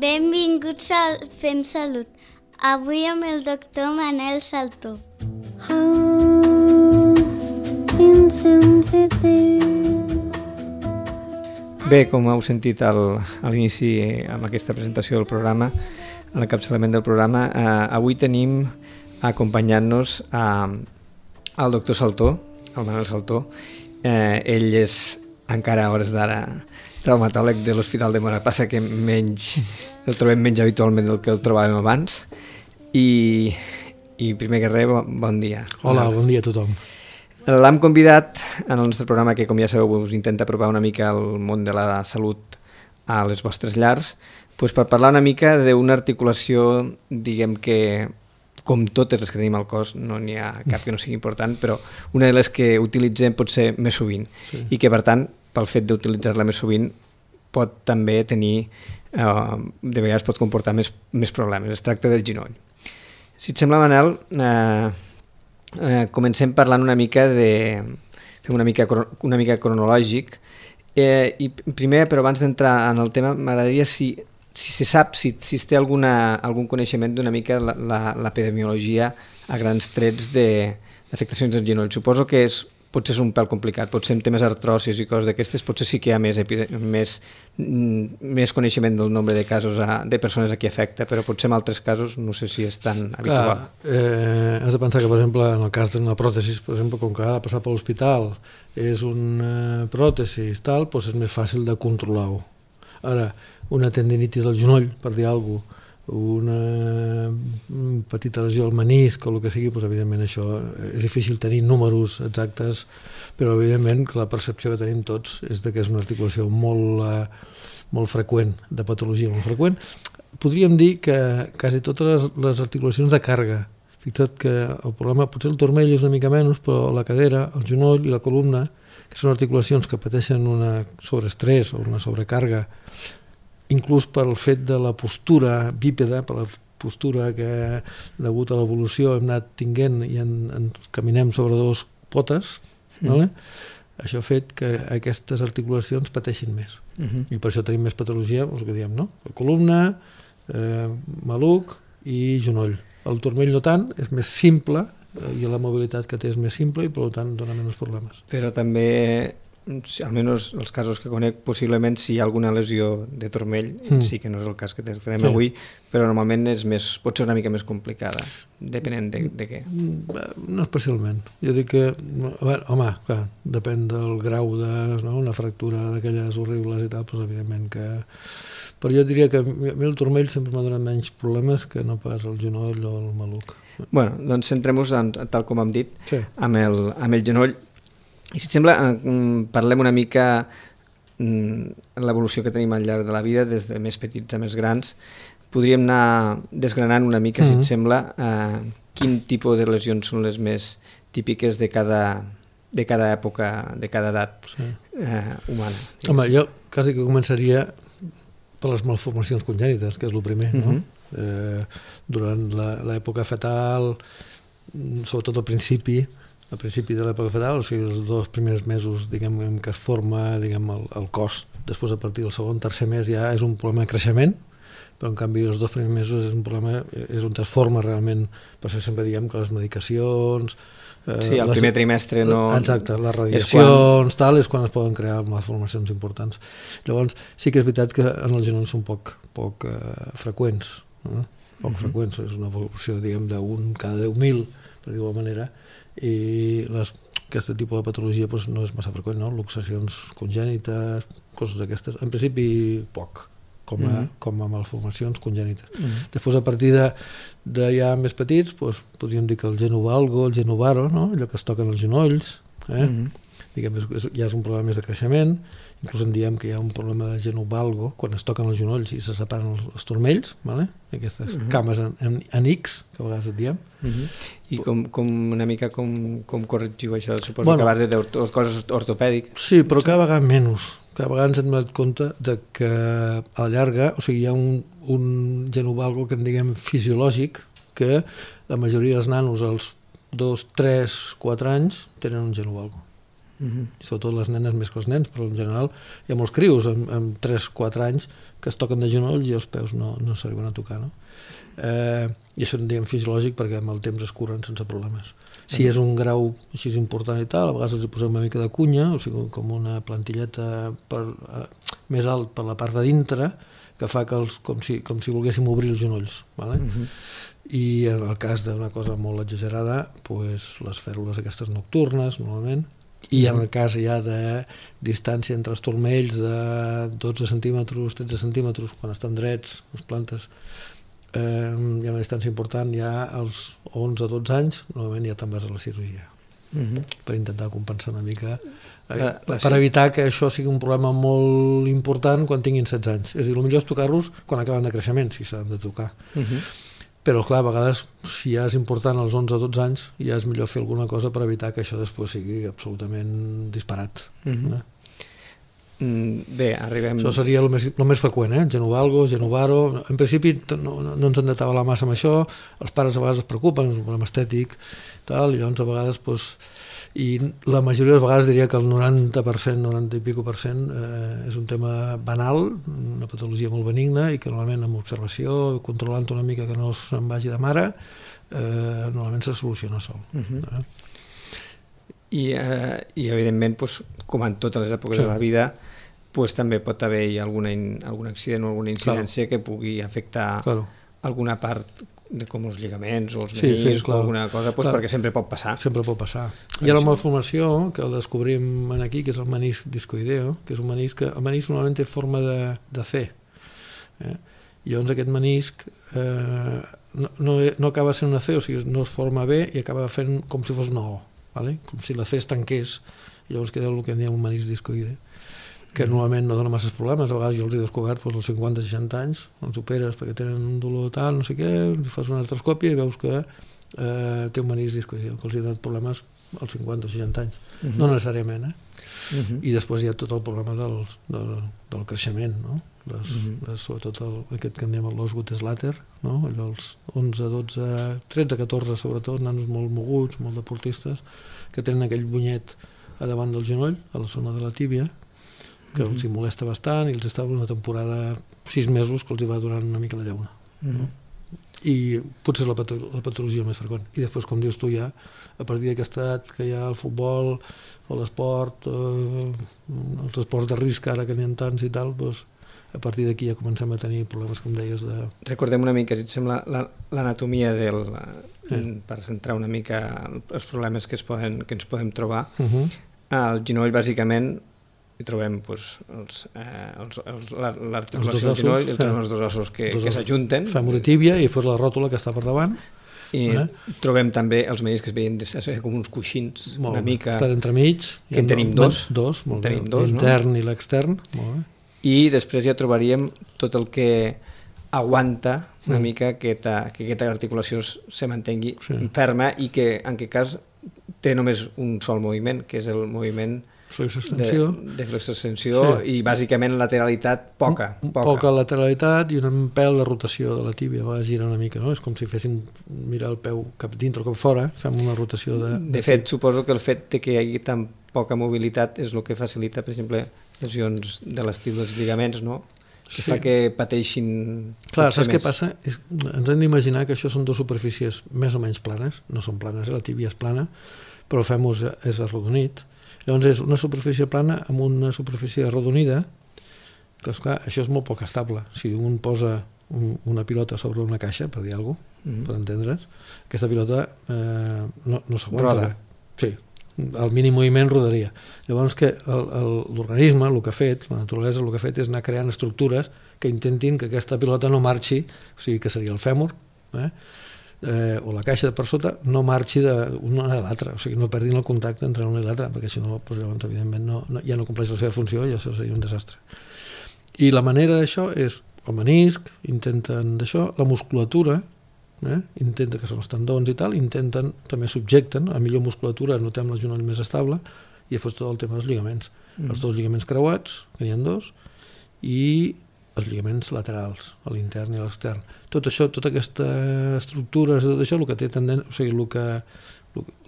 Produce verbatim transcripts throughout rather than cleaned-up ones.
Benvinguts al Fem Salut. Avui amb el doctor Manel Saltó. Bé, com heu sentit al, a l'inici amb aquesta presentació del programa, a l'encapçalament del programa, eh, avui tenim acompanyant-nos eh, el doctor Saltó, el Manel Saltó. Eh, ell és encara a hores d'ara traumatòleg de l'Hospital de Móra, passa que menys, el trobem menys habitualment del que el trobàvem abans. I, i primer que res, bon, bon dia. Hola, bon dia a tothom. L'hem convidat en el nostre programa, que com ja sabeu us intenta apropar una mica al món de la salut a les vostres llars, doncs per parlar una mica d'una articulació, diguem que, com totes les que tenim al cos, no n'hi ha cap que no sigui important, però una de les que utilitzem pot ser més sovint, sí. I que per tant, pel fet d'utilitzar-la més sovint, pot també tenir, eh, de vegades pot comportar més, més problemes. Es tracta del genoll. Si et sembla, Manel, eh, eh, comencem parlant una mica de... fem una mica, una mica cronològic, eh, i primer, però abans d'entrar en el tema, m'agradaria si, si se sap, si, si es té alguna, algun coneixement d'una mica l'epidemiologia a grans trets d'afectacions del genoll. Suposo que és, potser és un pèl complicat, potser en temes artrosis i coses d'aquestes, potser sí que hi ha més, més, més coneixement del nombre de casos a, de persones a qui afecta, però potser en altres casos no sé si és tan sí, habitual. Clar, eh, has de pensar que, per exemple, en el cas d'una pròtesi, per exemple, com que ha de passar per l'hospital, és una pròtesi i tal, doncs és més fàcil de controlar-ho. Ara, una tendinitis del genoll, per dir alguna cosa, una petita lesió al menisc o el que sigui, doncs evidentment això és difícil tenir números exactes, però evidentment que la percepció que tenim tots és que és una articulació molt, molt freqüent, de patologia molt freqüent. Podríem dir que quasi totes les, les articulacions de càrrega, fixa't que el problema, potser el turmell és una mica menys, però la cadera, el genoll i la columna, que són articulacions que pateixen una sobreestrès o una sobrecàrrega, inclús pel fet de la postura bípeda, per la postura que, degut a l'evolució, hem anat tinguent i en, en caminem sobre dos potes, mm. ¿vale? Això ha fet que aquestes articulacions pateixin més. Mm-hmm. I per això tenim més patologia, el que diem, no? La columna, eh, maluc i genoll. El turmell no tant, és més simple, eh, i la mobilitat que té és més simple i per tant dona menys problemes. Però també, almenys els casos que conec, possiblement si hi ha alguna lesió de turmell, mm. sí que no és el cas que tenim sí. avui, però normalment és més, pot ser una mica més complicada, depenent de, de què. No especialment. Jo dic que, veure, home, clar, depèn del grau de, no, una fractura d'aquelles horribles i tal, doncs evidentment que... Però jo diria que a mi el turmell sempre m'ha donat menys problemes que no pas el genoll o el maluc. Bueno, doncs centrem-nos, tal com hem dit, sí. amb, el, amb el genoll. I si et sembla, parlem una mica de l'evolució que tenim al llarg de la vida, des de més petits a més grans. Podríem anar desgranant una mica, mm-hmm. si et sembla, eh, quin tipus de lesions són les més típiques de cada, de cada època, de cada edat sí. eh, humana. Home, jo quasi que començaria per les malformacions congènites, que és el primer, no? Mm-hmm. eh, durant l'època fetal, sobretot al principi, al principi de l'època fetal, o sigui, els dos primers mesos diguem, en què es forma diguem, el, el cos, després a partir del segon, tercer mes ja és un problema de creixement, però en canvi els dos primers mesos és un problema, és on es forma realment, per això sempre diem que les medicacions... Eh, sí, el les, primer trimestre no... Exacte, les radiacions, és quan... tal, és quan es poden crear malformacions importants. Llavors, sí que és veritat que en el genoll són poc, poc eh, freqüents, no? Poc uh-huh. freqüents, és una evolució, diguem, d'un cada deu mil, per dir-ho d'alguna manera, i les, aquest tipus de patologia doncs, no és massa freqüent, no? Luxacions congènites, coses d'aquestes, en principi poc, com a, mm. com a malformacions congènites. Mm. Després, a partir de, de ja més petits, doncs, podríem dir que el genovalgo, el genovaro, no? Allò que es toquen els genolls, eh? mm. diguem, és, ja és un problema més de creixement, inclús en diem que hi ha un problema de genovalgo, quan es toquen els genolls i se separen els, els turmells, vale? Aquestes uh-huh. cames en, en, en X, que a vegades et diem. Uh-huh. I com, com una mica com, com corregiu això? Suposo bueno, que a base de coses ortopèdiques. Sí, però cada vegada menys. Cada vegada ens hem donat compte de que a la llarga, o sigui, hi ha un, un genovalgo que en diguem fisiològic, que la majoria dels nanos als dos, tres, quatre anys tenen un genovalgo. Uh-huh. Sobretot les nenes més que els nens, però en general hi ha molts crios amb, amb tres quatre anys que es toquen de genolls i els peus no, no s'arriben a tocar, no? Eh, I això en diem fisiològic perquè amb el temps es curen sense problemes. Si és un grau així important i tal, a vegades els hi posem una mica de cunya, o sigui, com una plantilleta per, eh, més alt per la part de dintre, que fa que els, com, si, com si volguéssim obrir els genolls. Vale? Uh-huh. I en el cas d'una cosa molt exagerada, pues, les fèrmules aquestes nocturnes, normalment, i en el cas ja de distància entre els turmells de dotze centímetres, tretze centímetres, quan estan drets, les plantes, eh, hi ha una distància important, ja als onze a dotze anys, normalment ja te'n vas a la cirurgia, uh-huh. per intentar compensar una mica, eh, la, la, per evitar que això sigui un problema molt important quan tinguin setze anys. És a dir, el millor és tocar-los quan acaben de creixement, si s'han de tocar. Uh-huh. Però, clar, a vegades, si ja és important als onze a dotze anys, ja és millor fer alguna cosa per evitar que això després sigui absolutament disparat. Uh-huh. eh? Mm, bé, arribem... Això seria el més, el més freqüent, eh? Genovalgo, genovaro... En principi no, no, no ens hem de tabalar massa amb això, els pares a vegades es preocupen, és un problema estètic, tal, i llavors a vegades... Pues, i la majoria de les vegades diria que el noranta per cent, noranta i pico per cent eh, és un tema banal, una patologia molt benigna i que normalment amb observació, controlant una mica que no se'n vagi de mare, eh, normalment se soluciona sol. Uh-huh. eh? I, eh, i evidentment, pues, com en totes les èpoques sí. de la vida, pues, també pot haver-hi alguna in, algun accident o alguna incidència claro. que pugui afectar claro. alguna part de com els lligaments o els meniscs sí, sí, o alguna cosa, pues, perquè sempre pot passar. Sempre pot passar. Hi ha la malformació, que el descobrim aquí, que és el menisc discoideo, que és un menisc que el menisc normalment té forma de, de C. Eh? I llavors aquest menisc eh, no, no, no acaba sent una C, o sigui, no es forma bé i acaba fent com si fos una O, vale? Com si la C es tanqués, i llavors queda el que en diem un menisc discoide, que normalment no dona massa problemes. A vegades jo els he descobert doncs, als cinquanta seixanta anys, els operes perquè tenen un dolor tal, no sé què, fas una artroscòpia i veus que eh, té un menisc discoide, que els ha donat problemes als cinquanta o seixanta anys. Uh-huh. No necessàriament, eh? Uh-huh. I després hi ha tot el problema del, del, del creixement, no? Les, uh-huh. les, sobretot el, aquest que en diem l'Osgood Slater, no? Els onze, dotze, tretze, catorze sobretot, nanos molt moguts, molt deportistes, que tenen aquell bunyet a davant del genoll, a la zona de la tíbia, que uh-huh. els hi molesta bastant i els estava una temporada, sis mesos, que els hi va donant una mica la llauna. Uh-huh. No? I potser és la, patolo la patologia més freqüent. I després, com dius tu, ja, a partir d'aquest edat que hi ha el futbol o l'esport, eh, els esports de risc ara que n'hi ha tants i tal, doncs, a partir d'aquí ja comencem a tenir problemes, com deies, de... Recordem una mica, si et sembla, l'anatomia del... Eh. per centrar una mica els problemes que, es poden, que ens podem trobar. Uh-huh. El genoll, bàsicament, hi trobem pues, els, eh, l'articulació del genoll, eh. els dos ossos que, que s'ajunten. Fèmur i tíbia i després la ròtula que està per davant. I eh? trobem també els meniscs que es veien com uns coixins, molt una mica... Estan entremig. Que en tenim dos. Dos, molt tenim bé. Dos, l'intern no? i l'extern. Molt bé. I després ja trobaríem tot el que aguanta una mm. mica que, ta, que aquesta articulació se mantengui sí. ferma i que en aquest cas té només un sol moviment, que és el moviment flexo-extensió de, de flexo-extensió sí. i bàsicament lateralitat poca, poca. Poca lateralitat i un pèl de rotació de la tíbia, va girar una mica, no? És com si féssim mirar el peu cap dintre o cap fora, fem una rotació de... De, de fet, suposo que el fet de que hi hagi tan poca mobilitat és el que facilita, per exemple, lesions de l'estil dels lligaments, no? Que sí. fa que pateixin... Clar, saps més. Què passa? És, ens hem d'imaginar que això són dues superfícies més o menys planes, no són planes, eh? La tíbia és plana, però el fèmur és arrodonit. Llavors és una superfície plana amb una superfície arrodonida, que esclar, això és molt poc estable. Si un posa un, una pilota sobre una caixa, per dir alguna cosa, mm-hmm. per entendre's, aquesta pilota eh, no, no s'aguanta. Sí, el mínim moviment rodaria. Llavors que l'organisme, el que ha fet, la naturalesa el que ha fet és anar creant estructures que intentin que aquesta pilota no marxi, o sigui que seria el fèmur, eh? Eh, o la caixa de per sota, no marxi d'una a l'altra, o sigui, no perdin el contacte entre una i l'altra, perquè si no, doncs, llavors, evidentment, no, no, ja no compleix la seva funció i això seria un desastre. I la manera d'això és el menisc, intenten d'això, la musculatura, eh? intenta que són els tendons i tal, intenten, també subjecten, a millor musculatura notem el genoll més estable, i després tot el tema dels lligaments. Mm. Els dos lligaments creuats, que n'hi ha dos, i els lligaments laterals, a l'intern i a l'extern. Tot això, tota aquesta estructura, tot això, el que té tendència, o sigui, el que,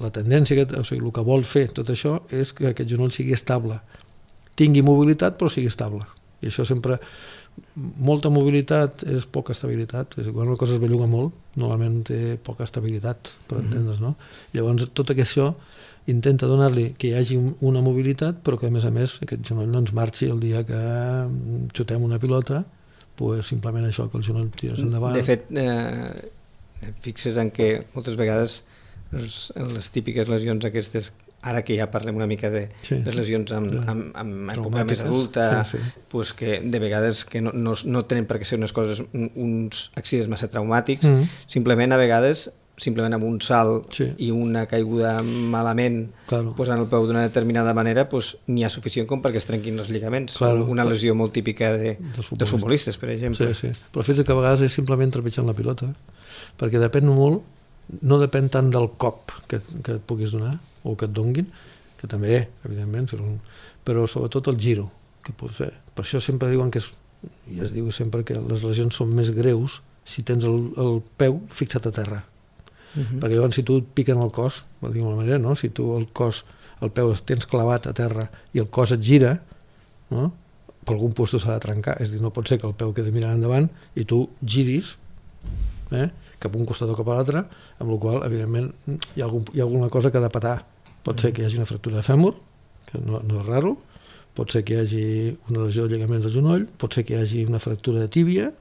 La tendència, que, o sigui, el que vol fer tot això és que aquest genoll sigui estable, tingui mobilitat però sigui estable, i això sempre, molta mobilitat és poca estabilitat, és quan una cosa es belluga molt normalment té poca estabilitat, per entendre's, no? Llavors tot això intenta donar-li que hi hagi una mobilitat però que a més a més aquest genoll no ens marxi el dia que xutem una pilota, pues simplement això, que el genoll tires endavant. De fet, eh, fixes en que moltes vegades les, les típiques lesions aquestes, ara que ja parlem una mica de sí, les lesions amb, sí. amb, amb època més adulta, sí, sí. Pues que de vegades que no, no, no tenen per què ser unes coses, uns accidents massa traumàtics, mm. simplement a vegades simplement amb un salt sí. i una caiguda malament claro. Posant el peu d'una determinada manera, pues, n'hi ha suficient com perquè es trenquin els lligaments. Claro. Una lesió molt típica de, dels futbolistes. futbolistes, per exemple. Sí, sí. Però fins que a vegades és simplement trepitjant la pilota, perquè depèn molt, no depèn tant del cop que, que et puguis donar o que et donguin, que també, evidentment, però sobretot el giro que pots fer. Per això sempre diuen que és, i es diu sempre que les lesions són més greus si tens el, el peu fixat a terra. Uh-huh. Perquè llavors si tu et piquen el cos, per dir-ho d'alguna manera, no? Si tu el cos, el peu el tens clavat a terra i el cos et gira, no? Per algun lloc s'ha de trencar, és a dir, no pot ser que el peu quedi mirant endavant i tu giris eh? cap a un costat o cap a l'altre, amb la qual evidentment hi ha, algun, hi ha alguna cosa que ha de petar. Pot ser que hi hagi una fractura de fèmur, que no, no és raro, pot ser que hi hagi una lesió de lligaments del genoll, pot ser que hi hagi una fractura de tíbia,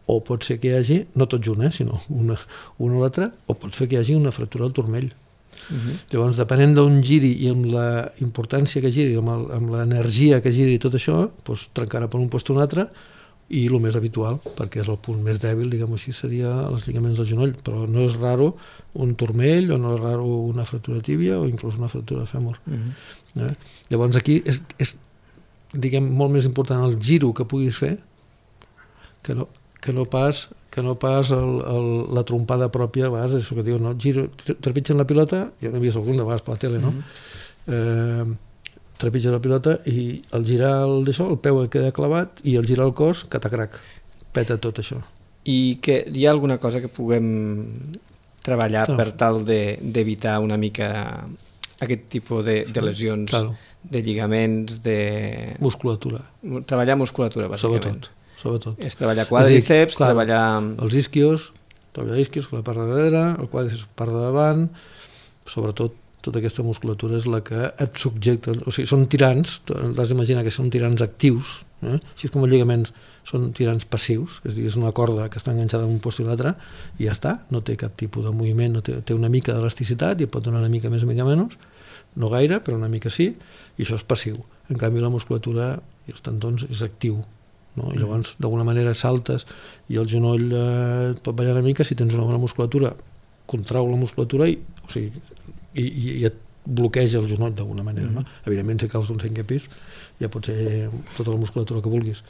o pot ser que hi hagi, no tot junt, eh, sinó una, una o l'altra, o pot ser que hi hagi una fractura del turmell. Uh-huh. Llavors, depenent d'on giri i amb la importància que giri, amb, el, amb l'energia que giri i tot això, doncs trencarà per un lloc o un altre, i el més habitual, perquè és el punt més dèbil, diguem-ho així, seria els lligaments del genoll, però no és raro un turmell, o no és raro una fractura de tíbia, o inclús una fractura de fèmur. Uh-huh. eh? Llavors, aquí és, és, diguem, molt més important el giro que puguis fer, que no, que no pas, que no pas el, el, la trompada pròpia, a vegades, això que diu, no? Giro, trepitgen la pilota, jo n'he vist algun de vegades per la tele, no? Mm-hmm. Eh, trepitgen la pilota i al girar el, això, el peu queda clavat i al girar el cos, catacrac, peta tot això. I que hi ha alguna cosa que puguem treballar claro. Per tal d'evitar de, una mica aquest tipus de, de lesions, claro. De lligaments, de... Musculatura. Treballar musculatura, bàsicament. Sobretot. Sobretot. És treballar quàdriceps, clar, treballar... Els isquios, treballar isquios, la part de darrere, el quàdriceps part de davant, sobretot tota aquesta musculatura és la que et subjecta, o sigui, són tirants, l'has d'imaginar que són tirants actius, eh? Així com els lligaments són tirants passius, és a dir, és una corda que està enganxada en un lloc i l'altre, i ja està, no té cap tipus de moviment, no té, té una mica d'elasticitat i et pot donar una mica més, una mica menys, no gaire, però una mica sí, i això és passiu. En canvi, la musculatura i els tendons és actiu. No? I llavors d'alguna manera saltes i el genoll eh, et pot ballar una mica, si tens una bona musculatura contrau la musculatura i, o sigui, i, i, i et bloqueja el genoll d'alguna manera, no? Evidentment si caus d'un cinquè pis ja pot ser tota la musculatura que vulguis,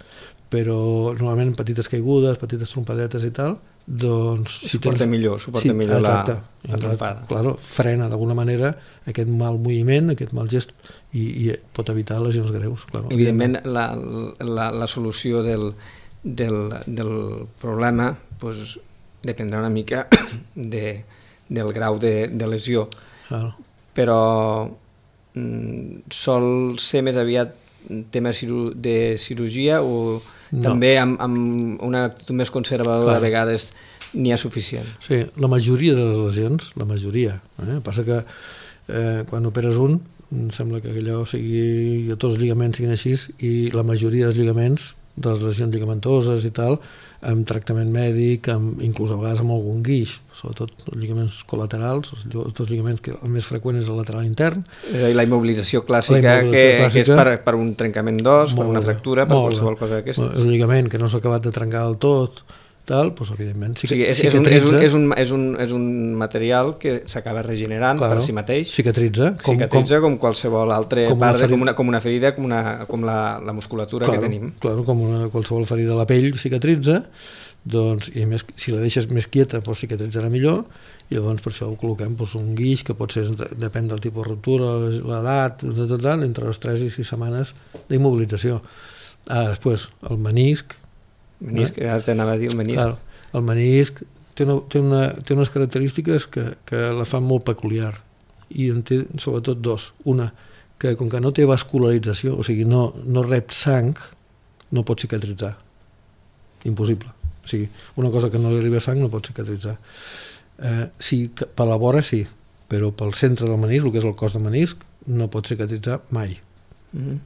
però normalment petites caigudes, petites trompadetes i tal, doncs... Si suporta tens... millor, suporta sí, millor exacte, la, la trompada. Claro, frena d'alguna manera aquest mal moviment, aquest mal gest i, i pot evitar lesions greus. Claro. Evidentment la, la, la solució del, del, del problema pues, dependrà una mica de, del grau de, de lesió, claro. Però mm, sol ser més aviat tema de cirurgia o no. També amb, amb una actitud més conservadora a vegades n'hi ha suficient? Sí, la majoria de les lesions, la majoria, eh? Passa que eh, quan operes un em sembla que allò sigui, que tots els lligaments siguin així i la majoria dels lligaments, de les lesions lligamentoses i tal, amb tractament mèdic, amb, inclús a vegades amb algun guix, sobretot els lligaments col·laterals, els, els lligaments que el més freqüent és el lateral intern. És a dir, la immobilització clàssica, la immobilització que, clàssica que és per, per un trencament d'os, per una fractura, per qualsevol cosa d'aquestes. Un lligament que no s'ha acabat de trencar del tot, tal, doncs evidentment sí, o sigui, és, és, un, és, un, és, un, és, un, és un material que s'acaba regenerant claro, per si mateix, cicatritza com, cicatritza com, com qualsevol altra com part, com, una, com una ferida, com, una, com la, la musculatura claro, que tenim. Claro, com una, qualsevol ferida de la pell cicatritza, doncs, i a més, si la deixes més quieta, doncs cicatritzarà millor, i llavors per això ho col·loquem doncs, un guix que pot ser, depèn del tipus de ruptura, l'edat, entre les tres i sis setmanes d'immobilització. Ara, després, el menisc, menisc, eh? Ara t'anava a dir el menisc. Clar, el menisc té, una, té, una, té unes característiques que, que la fan molt peculiar, i en té sobretot dos. Una, que com que no té vascularització, o sigui, no, no rep sang, no pot cicatritzar. Impossible. O sigui, una cosa que no li arriba sang no pot cicatritzar. Eh, sí, per la vora sí, però pel centre del menisc, el que és el cos de menisc, no pot cicatritzar mai. Mm-hmm.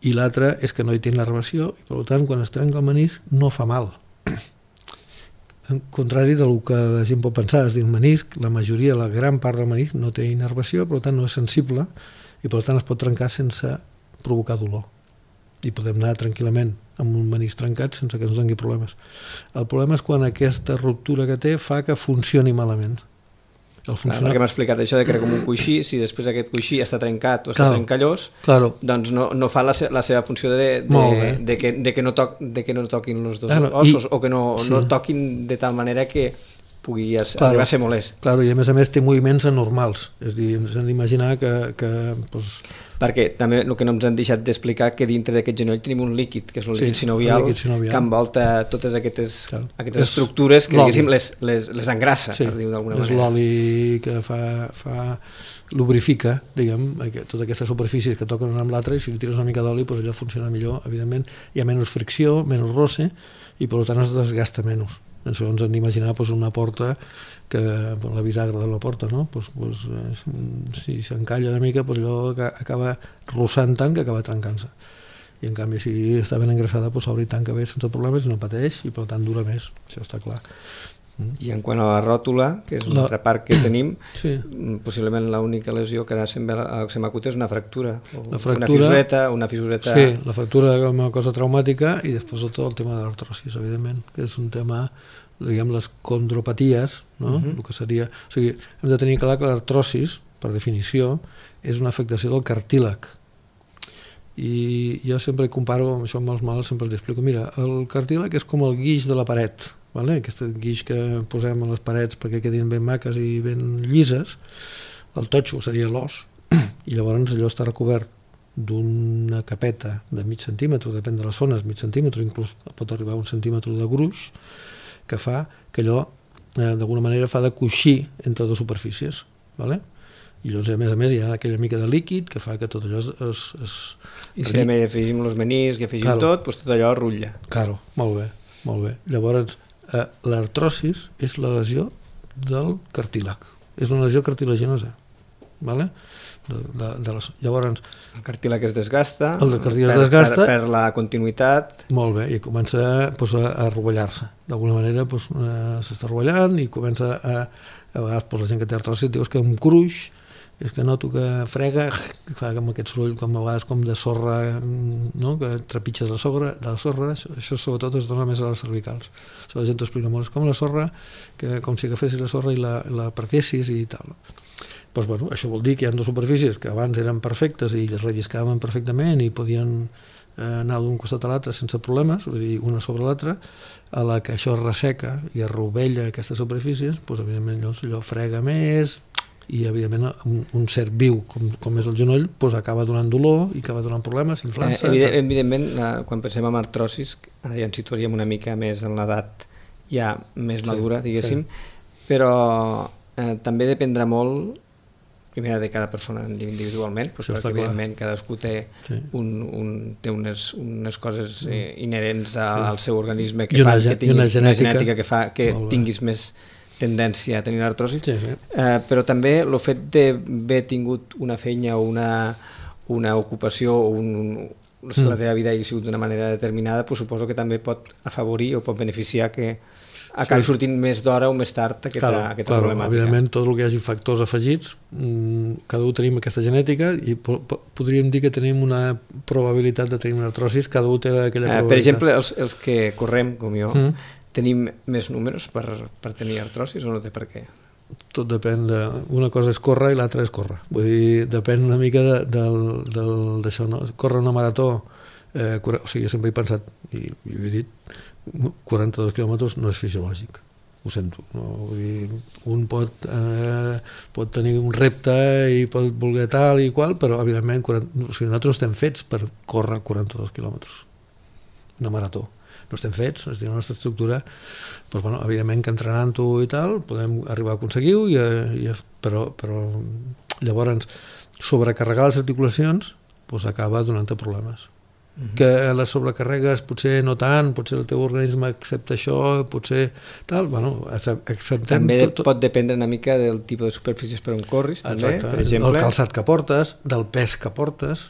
I l'altre és que no hi té innervació i per tant quan es trenca el menisc no fa mal. En contrari del que la gent pot pensar, és dir, el menisc, la majoria, la gran part del menisc no té innervació, per tant no és sensible i per tant es pot trencar sense provocar dolor. I podem anar tranquil·lament amb un menisc trencat sense que ens doni problemes. El problema és quan aquesta ruptura que té fa que funcioni malament. El funcionar... Clar, m'ha explicat això de que era com un coixí, si després aquest coixí està trencat o està claro, trencallós, claro. doncs no, no fa la, se la seva funció de, de, de, que, de, que no toc, de que no toquin els dos claro, ossos i... o que no, sí. no toquin de tal manera que pugui claro, arribar a ser molest. Claro, i a més a més té moviments anormals, és a dir, ens hem d'imaginar que... que pues... Perquè també el que no ens han deixat d'explicar que dintre d'aquest genoll tenim un líquid, que és el líquid, sí, sinovial, el líquid sinovial, que envolta totes aquestes, claro. aquestes estructures que diguéssim les, les, les engrassa, sí, per dir-ho d'alguna manera. És l'oli que fa, fa lubrifica, diguem, totes aquestes superfícies que toquen una amb l'altra, i si li tires una mica d'oli, doncs allò funciona millor, evidentment, hi ha menys fricció, menys roce, i per tant es desgasta menys. Doncs ens hem d'imaginar pues, una porta que la bisagra de la porta, no? Pues, pues, si s'encalla una mica pues, allò acaba russant tant que acaba trencant-se, i en canvi si està ben engrassada pues, s'obre i tanca bé sense problemes i no pateix i per tant dura més, això està clar. I en quant a la ròtula, que és l'altra part que tenim, sí. possiblement l'única lesió que ara se'm acut és una fractura, la fractura, una fisureta, una fisureta... Sí, la fractura com a cosa traumàtica i després tot el tema de l'artrosis, evidentment, que és un tema, diguem, les condropaties, no? Uh-huh. El que seria... O sigui, hem de tenir clar que l'artrosis, per definició, és una afectació del cartílag. I jo sempre comparo, amb això amb els malalts sempre els explico, mira, el cartílag és com el guix de la paret, vale? Aquest guix que posem a les parets perquè quedin ben maques i ben llises, el totxo seria l'os, i llavors allò està recobert d'una capeta de mig centímetre, depèn de les zones, mig centímetre, inclús pot arribar a un centímetre de gruix, que fa que allò eh, d'alguna manera fa de coixí entre dues superfícies, vale? I llavors a més a més hi ha aquella mica de líquid que fa que tot allò es... es, es I si també afegim els meniscs i afegim claro. tot, doncs tot allò rutlla. Claro, molt bé, molt bé. Llavors, eh, l'artrosis és la lesió del cartílag. És una lesió cartilaginosa, vale? De, de, de les... Llavors... El cartílag es desgasta, el cartílag per, es desgasta, per, per la continuïtat... Molt bé, i comença pues, a, a rovellar-se. D'alguna manera pues, eh, s'està rovellant i comença a... A vegades pues, la gent que té artrosis diu que un cruix, és que noto que frega, que fa com aquest soroll com a vegades com de sorra, no? Que trepitges la sorra, la sorra això, això sobretot es dona més a les cervicals. Això la gent t'ho explica molt, és com la sorra, que, com si agafessis la sorra i la, la partessis i tal. Pues, bueno, això vol dir que hi ha dues superfícies que abans eren perfectes i es relliscaven perfectament i podien eh, anar d'un costat a l'altre sense problemes, és a dir, una sobre l'altra, a la que això es resseca i es rovella aquestes superfícies, doncs, evidentment allò, allò frega més, i evidentment un, un cert viu com, com és el genoll doncs acaba donant dolor i acaba donant problemes, inflant-se. Eh, evident, evidentment, quan pensem en artrosis, ara ja ens situaríem una mica més en l'edat ja més madura, sí, diguéssim, sí. Però eh, també dependrà molt, primera, de cada persona individualment, doncs perquè evidentment cadascú té, sí. un, un, té unes, unes coses eh, inherents a, sí. al seu organisme que una, fan que tinguis una genètica, una genètica que fa que tinguis més tendència a tenir artrosi, sí, sí. Eh, però també el fet d'haver tingut una feina o una, una ocupació o un, un, mm. la teva vida hagi sigut d'una manera determinada, doncs suposo que també pot afavorir o pot beneficiar que acabi sí. sortint més d'hora o més tard aquesta, claro, aquesta claro, problemàtica. Evidentment, tot el que hi hagi factors afegits, mmm, cada un tenim aquesta genètica i po podríem dir que tenim una probabilitat de tenir una artrosis, cada un té aquella eh, probabilitat. Per exemple, els, els que correm, com jo, mm. tenim més números per, per tenir artrosis o no té per què? Tot depèn de... Una cosa és córrer i l'altra és córrer. Vull dir, depèn una mica d'això, no? Córrer una marató, eh, o sigui, sempre he pensat, i, i ho he dit, quaranta-dos quilòmetres no és fisiològic, ho sento. No? Vull dir, un pot, eh, pot tenir un repte i pot voler tal i qual, però evidentment quaranta, o sigui, nosaltres estem fets per córrer quaranta-dos quilòmetres, una marató. no estem fets, és a dir, la nostra estructura, doncs, bueno, evidentment que entrenant-ho i tal, podem arribar a aconseguir-ho, i, i, però, però llavors sobrecarregar les articulacions doncs, acaba donant-te problemes. Uh-huh. Que les sobrecarregues potser no tant, potser el teu organisme accepta això, potser tal, bueno, acceptem... També tot, tot... pot dependre una mica del tipus de superfícies per on corris, també, exacte, per exemple. El calçat que portes, del pes que portes,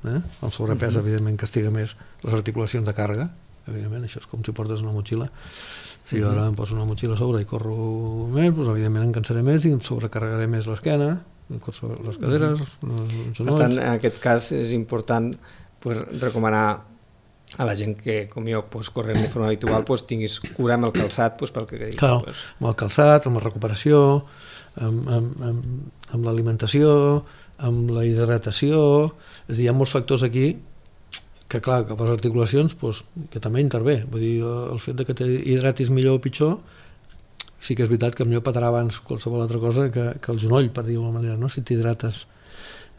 eh? El sobrepès, uh-huh. evidentment, castiga més les articulacions de càrrega, evidentment, això és com si portes una motxilla. Si jo uh-huh. ara em poso una motxilla a sobre i corro més, doncs, evidentment em cansaré més i em sobrecarregaré més l'esquena, les caderes, uh-huh. els genolls... Per tant, en aquest cas és important pues, recomanar a la gent que, com jo, pues, correm de forma habitual, pues, tinguis cura amb el calçat, pues, pel que dic. Clar, pues. amb el calçat, amb la recuperació, amb, amb, amb, amb l'alimentació, amb la hidratació, és a dir, hi ha molts factors aquí que, clar, que per les articulacions, pues, que també intervé. Vull dir, el fet de que t'hidratis millor o pitjor, sí que és veritat que millor petarà abans qualsevol altra cosa que, que el genoll, per dir-ho d'alguna manera, no? Si t'hidrates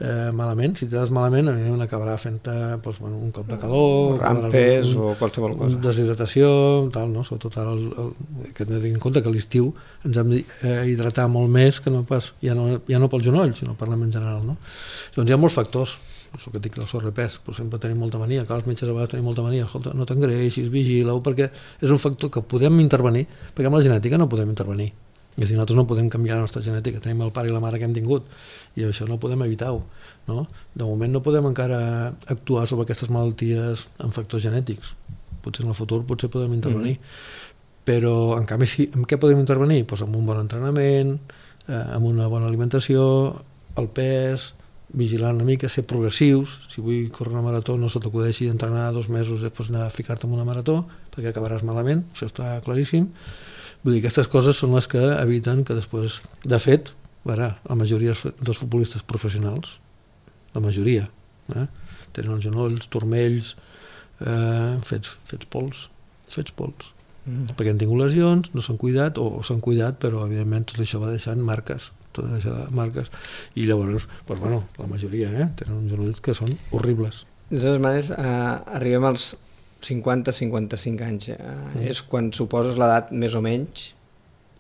eh, malament, si t'hidrates malament, evidentment acabarà fent-te doncs, bueno, un cop de calor, rampes un, o qualsevol cosa. Deshidratació, tal, no? Sobretot ara el, el, que hem de tenir en compte que a l'estiu ens hem d'hidratar molt més que no pas, ja no, ja no pel genoll, sinó parlem en general, no? Doncs hi ha molts factors. El que dic, el sobrepès, però sempre tenim molta mania, que els metges a vegades tenim molta mania, escolta, no t'engreixis, vigila-ho, perquè és un factor que podem intervenir, perquè amb la genètica no podem intervenir. És a dir, nosaltres no podem canviar la nostra genètica, tenim el pare i la mare que hem tingut, i això no podem evitar-ho, no? De moment no podem encara actuar sobre aquestes malalties amb factors genètics. Potser en el futur potser podem intervenir. Mm. Però, en canvi, sí, en què podem intervenir? Pues amb un bon entrenament, eh, amb una bona alimentació, el pes, vigilar una mica, ser progressius. Si vull córrer una marató, no se t'acudeixi d'entrenar dos mesos i després anar a ficar-te en una marató, perquè acabaràs malament, això està claríssim. Vull dir, aquestes coses són les que eviten que després, de fet, veurà, la majoria dels futbolistes professionals, la majoria, eh, tenen els genolls, turmells, eh, fets, fets pols, fets pols. Mm. Perquè han tingut lesions, no s'han cuidat, o, o s'han cuidat, però evidentment tot això va deixant marques, tot això de marques, i llavors, doncs, bueno, la majoria eh, tenen uns genolls que són horribles. De totes maneres, eh, arribem als cinquanta a cinquanta-cinc anys. Eh, mm. És quan suposes l'edat més o menys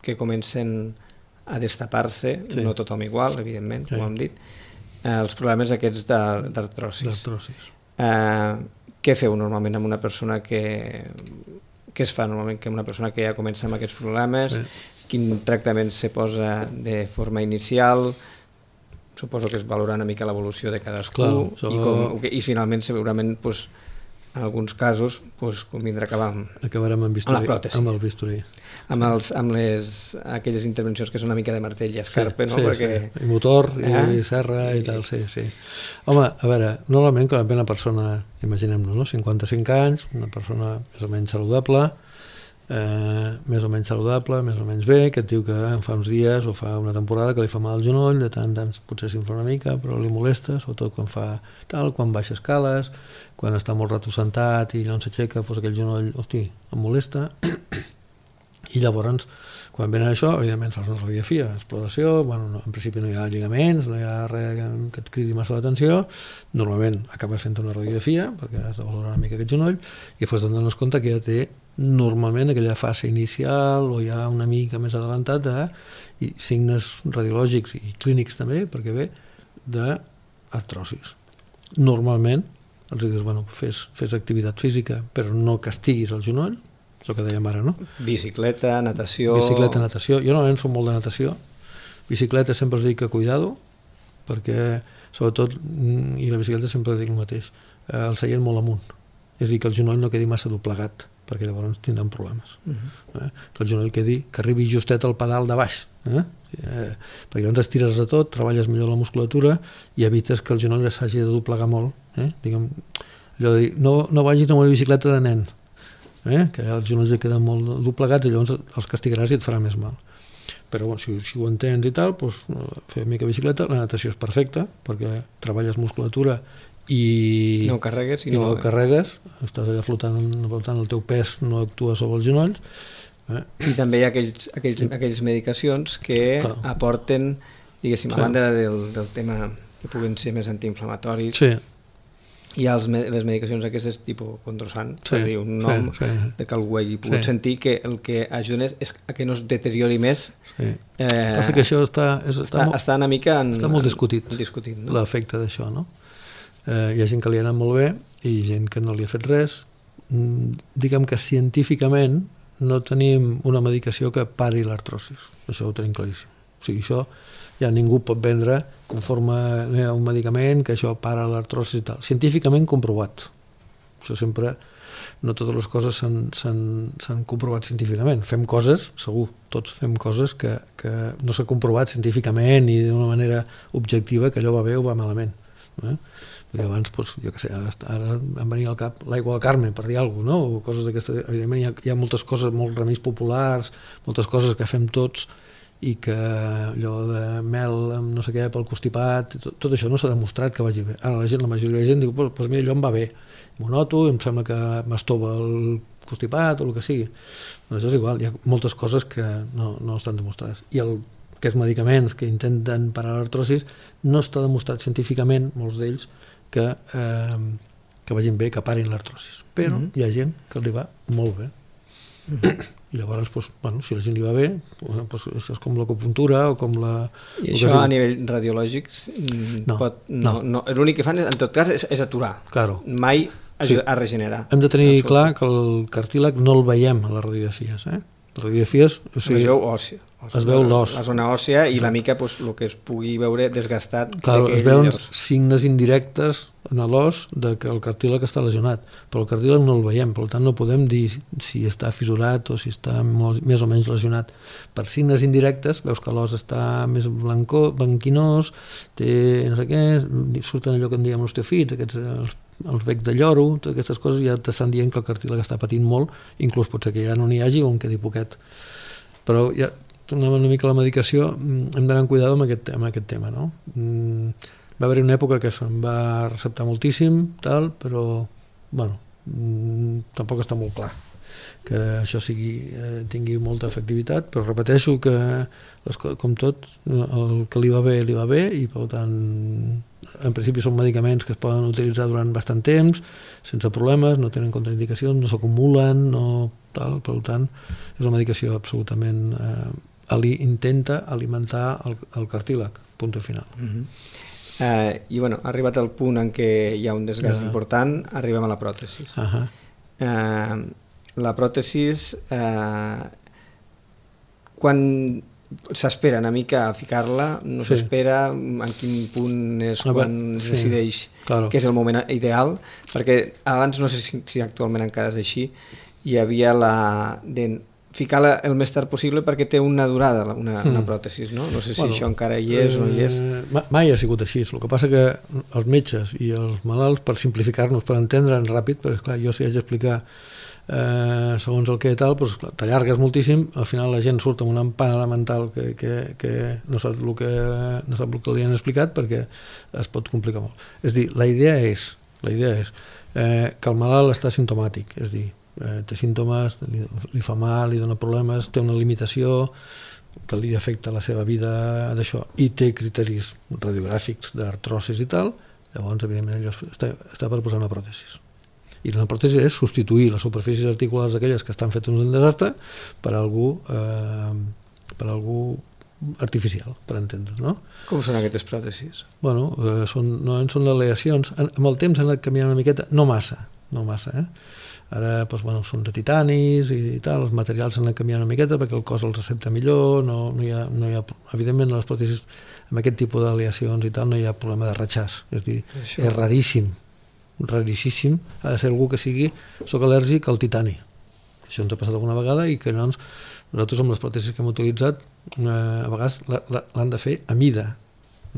que comencen a destapar-se, sí. No tothom igual, evidentment, sí. Com hem dit, eh, els problemes aquests d'artrosis. D'artrosis. Eh, què feu normalment amb una persona que... Què es fa normalment que una persona que ja comença amb aquests problemes? Sí. Quin tractament se posa de forma inicial? Suposo que es valora una mica l'evolució de cadascú. Clar, això... i, com, i finalment segurament pues, en alguns casos pues, convindrà acabar amb, acabarem amb, bisturí, amb la pròtesi. Amb el bisturí. Amb, els, amb les, aquelles intervencions que són una mica de martell i escarpe, sí, no? Sí, Perquè... sí. I motor, eh? i serra i, i tal, sí, sí. Home, a veure, normalment quan ve una persona, imaginem-nos, no? cinquanta-cinc anys, una persona més o menys saludable, eh, més o menys saludable, més o menys bé, que et diu que fa uns dies o fa una temporada que li fa mal el genoll, de tant en tant potser s'infla una mica, però li molesta, sobretot quan fa tal, quan baixa escales, quan està molt rato sentat i allò s'aixeca, doncs aquell genoll, hosti, em molesta. I llavors, quan venen això, evidentment fas una radiografia, exploració, bueno, no, en principi no hi ha lligaments, no hi ha res que et cridi massa l'atenció, normalment acabes fent una radiografia, perquè has de valorar una mica aquest genoll, i després te'n dones compte que ja té normalment aquella fase inicial o ja una mica més adelantat de i signes radiològics i clínics també, perquè ve d'artrosis. Normalment els dius, bueno, fes, fes activitat física, però no castiguis el genoll, això que dèiem ara, no? Bicicleta, natació... Bicicleta, natació. Jo normalment soc molt de natació. Bicicleta sempre els dic que cuidado, perquè sobretot, i la bicicleta sempre dic el mateix, el seient molt amunt. És a dir, que el genoll no quedi massa doblegat, perquè llavors tindran problemes. Uh-huh. eh? Que el genoll quedi, que arribi justet al pedal de baix. Eh? Eh, perquè llavors estires de tot, treballes millor la musculatura i evites que el genoll s'hagi de doblegar molt. Eh? Diguem, allò de dir, no, no vagis amb una bicicleta de nen, eh? Que els genolls et queden molt doblegats i llavors els castigaràs i et farà més mal. Però bueno, si, si ho entens i tal, doncs, fer una mica bicicleta, la natació és perfecta perquè treballes musculatura i no carregues, i i no... no carregues, estàs allà flotant, flotant, el teu pes no actua sobre els genolls. Eh? I també hi ha aquells, aquells, aquelles medicacions que Clar. aporten, diguéssim, sí. a banda del, del tema que puguen ser més antiinflamatoris, sí. hi ha els, les medicacions aquestes tipus condrosan, sí, per dir un nom sí, sí. de que algú hagi pogut sí. sentir que el que ajuden és a que no es deteriori més. Sí. Eh, Passa que això està, és, està, està, molt, està una mica en, està molt discutit, en, discutit no? l'efecte d'això, no? Eh, hi ha gent que li ha anat molt bé i gent que no li ha fet res. Mm, diguem que científicament no tenim una medicació que pari l'artrosis, això ho tenim claríssim. O sigui, això ja ningú pot vendre conforme a un medicament que això para l'artrosis i tal. Científicament comprovat. Això sempre, no totes les coses s'han comprovat científicament. Fem coses, segur, tots fem coses que, que no s'ha comprovat científicament i d'una manera objectiva que allò va bé o va malament. Eh? Perquè abans, doncs, jo què sé, ara, ara em venia al cap l'aigua del Carme, per dir alguna cosa, no? O coses d'aquestes. Evidentment hi ha, hi ha moltes coses, molts remeis populars, moltes coses que fem tots i que allò de mel amb no sé què pel constipat, tot, tot això no s'ha demostrat que vagi bé. Ara la gent, la majoria de la gent diu, pues, pues mira, allò em va bé, m'ho noto, em sembla que m'estova el constipat o el que sigui. Però això és igual, hi ha moltes coses que no, no estan demostrades. I el, aquests medicaments que intenten parar l'artrosis no està demostrat científicament, molts d'ells, que, eh, que vagin bé, que parin l'artrosis. Però mm-hmm. hi ha gent que li va molt bé. Mm-hmm. I llavors, doncs, bueno, si a la gent li va bé, doncs, això és com l'acupuntura o com la... I això a nivell radiològic no, pot, no. no, no, l'únic que fan en tot cas és, és aturar, claro. mai a, sí. a regenerar. Hem de tenir clar que el cartílag no el veiem a les radiografies, eh? Les radiografies, o sigui, es veu òssia, es veu l'os, la zona òssia i la mica pues, el que es pugui veure desgastat. Claro, es veuen llavors... signes indirectes en l'os de que el cartílag està lesionat, però el cartílag no el veiem, per tant no podem dir si està fissurat o si està molt, més o menys lesionat. Per signes indirectes veus que l'os està més blancó, blanquinós, té no sé què, surten allò que en diem osteofits, aquests els els becs de lloro, totes aquestes coses ja t'estan dient que el cartílag està patint molt, inclús pot ser que ja no n'hi hagi o en quedi poquet. Però ja, tornem una mica a la medicació, hem d'anar amb cuidado amb aquest, amb aquest tema, no? Mm, va haver una època que se'n va receptar moltíssim, tal, però, bueno, mm, tampoc està molt clar que això sigui, eh, tingui molta efectivitat, però repeteixo que, les, com tot, el que li va bé, li va bé, i per tant, en principi són medicaments que es poden utilitzar durant bastant temps, sense problemes, no tenen contraindicacions, no s'acumulen, no tal, per tant, és una medicació absolutament... Eh, ali, intenta alimentar el, el cartílag, punt final. Uh-huh. eh, I bueno, ha arribat el punt en què hi ha un desgast uh-huh. important, arribem a la pròtesi. Uh-huh. Eh, la pròtesi, eh, quan s'espera una mica a ficar-la, no sí. s'espera en quin punt és ah, quan es sí. decideix claro. que és el moment ideal, perquè abans, no sé si, si actualment encara és així, hi havia la de ficar-la el més tard possible perquè té una durada, una, mm. una pròtesi, no? No sé si bueno, això encara hi és eh, o no hi és. Mai ha sigut així, el que passa que els metges i els malalts, per simplificar-nos, per entendre'ns ràpid, perquè clar, jo si haig d'explicar Eh, segons el que tal, doncs, t'allargues moltíssim, al final la gent surt amb una empanada mental que, que, que no sap el que no sap el que li han explicat perquè es pot complicar molt. És a dir, la idea és, la idea és eh, que el malalt està simptomàtic, és a dir, eh, té símptomes, li, li fa mal, li dona problemes, té una limitació que li afecta la seva vida d'això i té criteris radiogràfics d'artrosis i tal, llavors evidentment allò està, està per posar una pròtesi. I la pròtesi és substituir les superfícies articulars aquelles que estan fetes un desastre per algú, eh, per algú artificial, per entendre's, no? Com són aquestes pròtesis? Bueno, eh, són, no són aleacions. Amb el temps han anat canviant una miqueta, no massa, no massa, eh? Ara doncs, bueno, són de titanis i, i tal, els materials s'han anat canviant una miqueta perquè el cos els recepta millor, no, no, hi ha, no hi ha, evidentment les pròtesis amb aquest tipus d'aleacions i tal no hi ha problema de ratxàs, és a dir, Això. és raríssim, raríssim, ha de ser algú que sigui, soc al·lèrgic al titani. Això ens ha passat alguna vegada i que llavors nosaltres amb les pròtesis que hem utilitzat eh, a vegades l'han de fer a mida.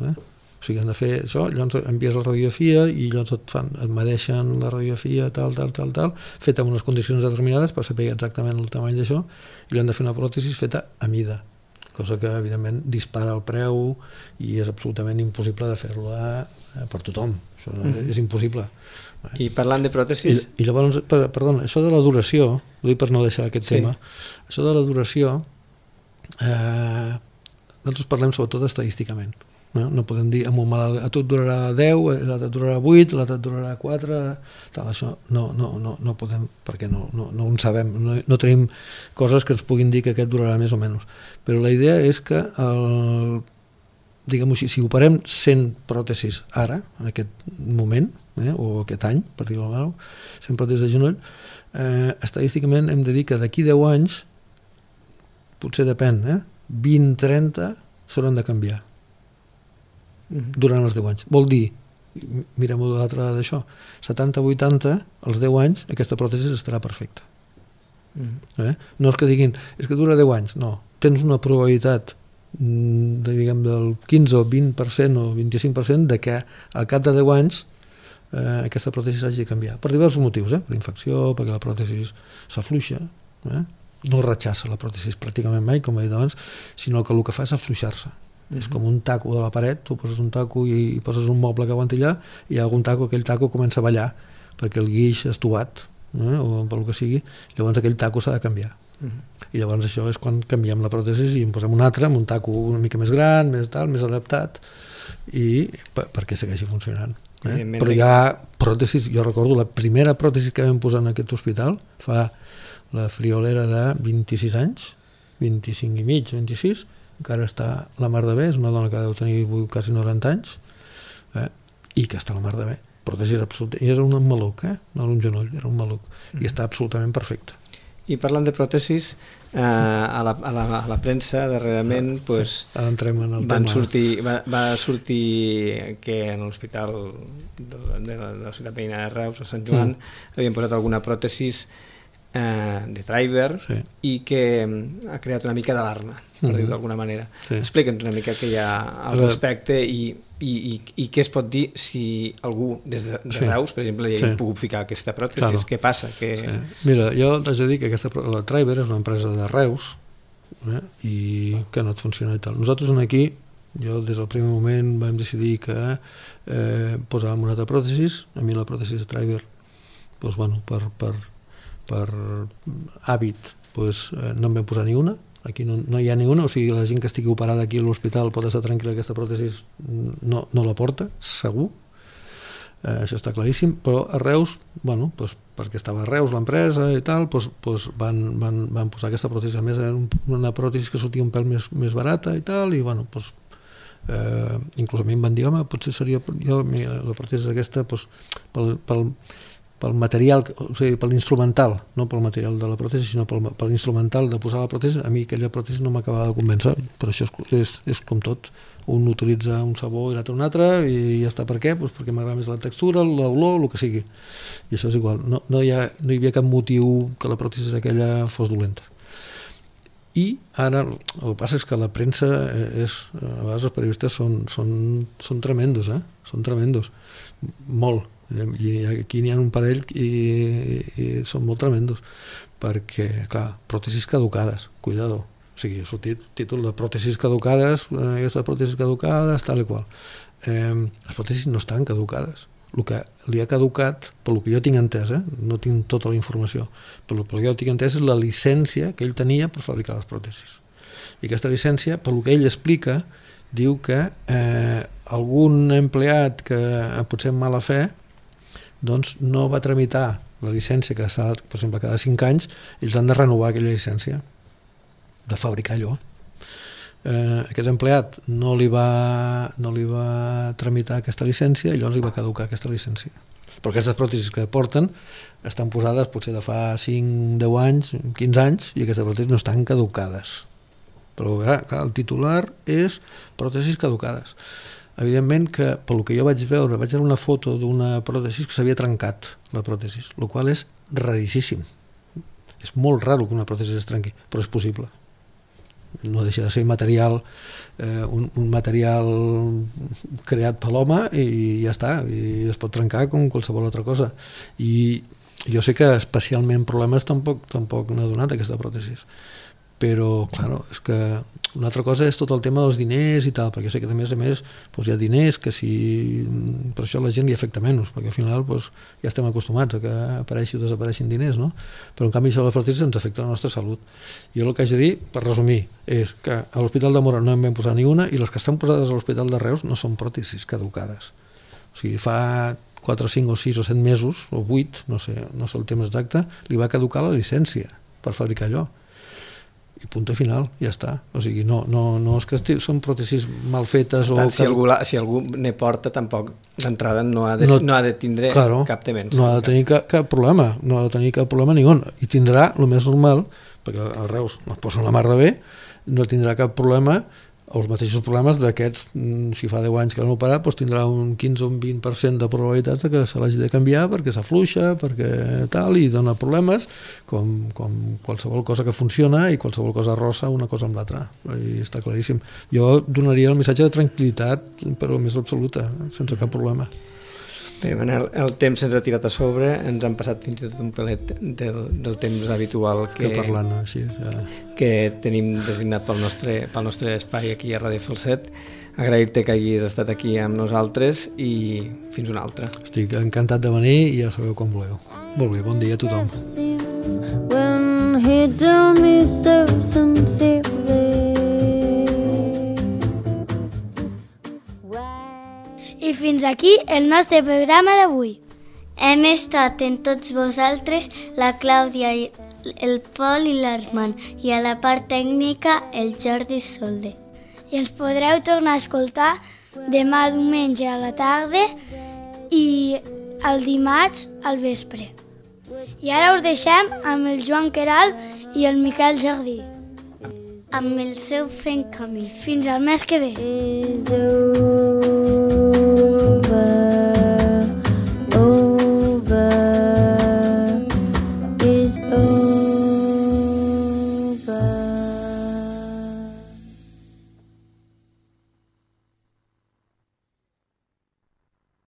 Eh? O sigui, han de fer això, llavors envies la radiografia i llavors et, fan, et medeixen la radiografia tal, tal, tal, tal, feta en unes condicions determinades per saber exactament el tamany d'això i li han de fer una pròtesi feta a mida, cosa que evidentment dispara el preu i és absolutament impossible de fer-la per tothom. Això mm-hmm. és impossible. I parlant de pròtesis... I, i llavors, perdona, això de la duració, ho dic per no deixar aquest sí. tema, això de la duració, eh, nosaltres parlem sobretot estadísticament. No, no podem dir, amb un malalt, a tu et durarà deu, l'altre et durarà vuit, l'altre et durarà quatre, tal, això no, no, no, no podem, perquè no, no, no en sabem, no, no tenim coses que ens puguin dir que aquest durarà més o menys. Però la idea és que, el, diguem-ho així, si operem cent pròtesis ara, en aquest moment, eh, o aquest any, per dir-ho mal, cent pròtesis de genoll, eh, estadísticament hem de dir que d'aquí deu anys, potser depèn, eh, vint trenta s'hauran de canviar durant els deu anys. Vol dir, mirem-ho de l'altre d'això, setanta vuitanta, als deu anys, aquesta pròtesi estarà perfecta. Eh? No és que diguin, és que dura deu anys, no. Tens una probabilitat de, diguem, del quinze o vint per cent o vint-i-cinc per cent de que al cap de deu anys eh, aquesta pròtesi s'hagi de canviar. Per diversos motius, eh? Per infecció, perquè la pròtesi s'afluixa, eh? No rechaça la pròtesi pràcticament mai, com he dit abans, sinó que el que fa és afluixar-se. És com un taco de la paret, tu poses un taco i poses un moble que aguanti allà i hi ha algun taco, aquell taco comença a ballar perquè el guix és tobat, eh, o pel que sigui, llavors aquell taco s'ha de canviar. Uh-huh. I llavors això és quan canviem la pròtesi i en posem un altre, amb un taco una mica més gran, més tal, més adaptat, i per, perquè segueixi funcionant. Eh? Però hi ha pròtesis, jo recordo la primera pròtesi que vam posar en aquest hospital fa la friolera de vint-i-sis anys, vint-i-cinc i mig, vint-i-sis, encara està la mar de bé, és una dona que deu tenir quasi noranta anys, eh? I que està la mar de bé. Pròtesis absoluta. I era un maluc, eh? No era un genoll, era un maluc. Mm. I està absolutament perfecte. I parlant de pròtesis, eh, a, la, a, la, a la premsa darrerament ah, pues, ara entrem en el van tema. Sortir, va, va sortir que en l'hospital de, de, la, de la ciutat veïna de Reus, a Sant Joan, mm. havien posat alguna pròtesis eh, de driver, sí. I que ha creat una mica d'alarma, per mm-hmm. dir-ho d'alguna manera. Sí. Explica'ns una mica què hi ha al respecte i, i, i, i què es pot dir si algú des de, de sí. Reus, per exemple, hi ha sí. pogut ficar aquesta pròtesi. Claro. Què passa? Que... Sí. Mira, jo t'haig de dir que aquesta, la Driver és una empresa de Reus, eh, i que no et funciona i tal. Nosaltres aquí, jo des del primer moment vam decidir que eh, posàvem una altra pròtesi. A mi la pròtesi Driver, doncs, bueno, per, per, per hàbit, doncs, eh, no em vam posar ni una. Aquí no, no hi ha ni una, o sigui, la gent que estigui operada aquí a l'hospital pot estar tranquil·la, aquesta pròtesi no, no la porta, segur. Eh, això està claríssim, però a Reus, bueno, doncs, perquè estava a Reus l'empresa i tal, doncs, doncs van, van, van posar aquesta pròtesi. A més, era una pròtesi que sortia un pèl més, més barata i tal, i bueno, doncs, eh, inclús a mi em van dir, home, potser seria jo, la pròtesi aquesta, doncs, pel, pel, pel material, o sigui, per l'instrumental, no pel material de la pròtesi, sinó pel, per l'instrumental de posar la pròtesi, a mi aquella pròtesi no m'acabava de convèncer, però això és, és, és com tot. Un utilitza un sabó i l'altre un altre, i ja està. Per què? Pues perquè m'agrada més la textura, l'olor, el que sigui. I això és igual. No, no, hi ha, no hi havia cap motiu que la pròtesi aquella fos dolenta. I ara, el que passa és que la premsa és, a vegades els periodistes són, són, són tremendos, eh? Són tremendos. Molt. I aquí n'hi ha un parell i, i, i són molt tremendos, perquè, clar, pròtesis caducades, cuidado, o sigui, ha sortit títol de pròtesis caducades, aquestes pròtesis caducades, tal i qual. Eh, les pròtesis no estan caducades. El que li ha caducat, pel que jo tinc entès, eh, no tinc tota la informació, però el que jo tinc entès és la llicència que ell tenia per fabricar les pròtesis. I aquesta llicència, pel que ell explica, diu que eh, algun empleat que potser amb mala fe doncs no va tramitar la llicència que s'ha, per exemple, cada cinc anys, ells han de renovar aquella llicència de fabricar allò. Eh, aquest empleat no li, va, no li va tramitar aquesta llicència i llavors li va caducar aquesta llicència. Però aquestes pròtesis que porten estan posades potser de fa cinc, deu anys, quinze anys, i aquestes pròtesis no estan caducades. Però clar, clar, el titular és pròtesis caducades. Evidentment que, pel que jo vaig veure, vaig veure una foto d'una pròtesi que s'havia trencat, la pròtesi, el qual és raríssim. És molt raro que una pròtesi es trenqui, però és possible. No deixa de ser material, eh, un, un material creat per l'home i ja està, i es pot trencar com qualsevol altra cosa. I jo sé que especialment problemes tampoc, tampoc n'ha donat aquesta pròtesi. però, clar, és que una altra cosa és tot el tema dels diners i tal, perquè sé que a més a més doncs hi ha diners que si... per això la gent li afecta menys, perquè al final doncs, ja estem acostumats a que apareixi o desapareixin diners, no? Però en canvi això de les pròtesis ens afecta la nostra salut. Jo el que haig de dir, per resumir, és que a l'Hospital de Móra no en vam posar ni una i les que estan posades a l'Hospital de Reus no són pròtesis caducades. O sigui, fa quatre, cinc o sis o set mesos, o vuit, no sé, no sé el temps exacte, li va caducar la llicència per fabricar allò. I punt final, ja està. O sigui, no, no, no és que són pròtesis mal fetes. Tant, o si, algú la, si algú ne porta, tampoc d'entrada no, ha de, no, no ha de tindre claro, cap tement. No ha de tenir cap, cap problema, no ha de tenir cap problema ningú. I tindrà, el més normal, perquè a Reus es posen la mar de bé, no tindrà cap problema, els mateixos problemes d'aquests, si fa deu anys que l'han operat, doncs tindrà un quinze o un vint per cent de probabilitats de que se l'hagi de canviar perquè s'afluixa, perquè tal, i dona problemes, com, com qualsevol cosa que funciona i qualsevol cosa rossa una cosa amb l'altra. I està claríssim. Jo donaria el missatge de tranquil·litat, però més absoluta, sense cap problema. Bé, Manel, el temps se'ns ha tirat a sobre, ens han passat fins i tot un pelet del, del temps habitual que, que, parlant, així, ja. que tenim designat pel nostre, pel nostre espai aquí a Ràdio Falset. Agrair-te que hagis estat aquí amb nosaltres i fins una altra. Estic encantat de venir i ja sabeu com voleu. Molt bé, bon dia a tothom. When he told me so sincerely. I fins aquí el nostre programa d'avui. Hem estat en tots vosaltres la Clàudia, el Pol i l'Armand, i a la part tècnica el Jordi Solde. I ens podreu tornar a escoltar demà diumenge a la tarda i el dimarts al vespre. I ara us deixem amb el Joan Queralt i el Miquel Jardí. Amb el seu Fent Camí. Fins al mes que ve.